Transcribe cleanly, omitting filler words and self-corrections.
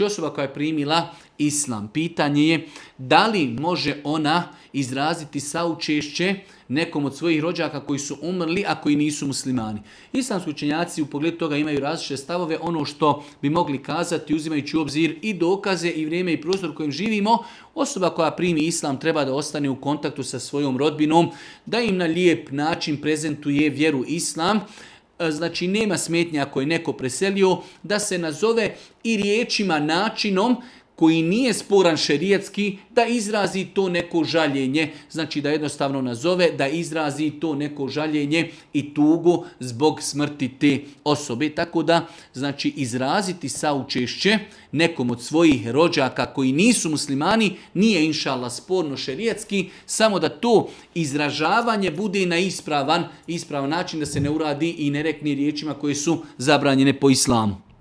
Osoba koja je primila islam, pitanje je da li može ona izraziti saučešće nekom od svojih rođaka koji su umrli, a koji nisu muslimani. Islamski učenjaci u pogledu toga imaju različite stavove. Ono što bi mogli kazati, uzimajući u obzir i dokaze i vrijeme i prostor u kojem živimo, osoba koja primi islam treba da ostane u kontaktu sa svojom rodbinom, da im na lijep način prezentuje vjeru islam. Znači nema smetnje ako je neko preselio da se nazove i riječima, načinom koji nije sporan šerijatski, da izrazi to neko žaljenje. Znači da jednostavno nazove, da izrazi to neko žaljenje i tugu zbog smrti te osobe. Tako da, znači izraziti saučešće nekom od svojih rođaka koji nisu muslimani nije inšallah sporno šerijatski, samo da to izražavanje bude na ispravan način, da se ne uradi i ne rekne riječima koje su zabranjene po islamu.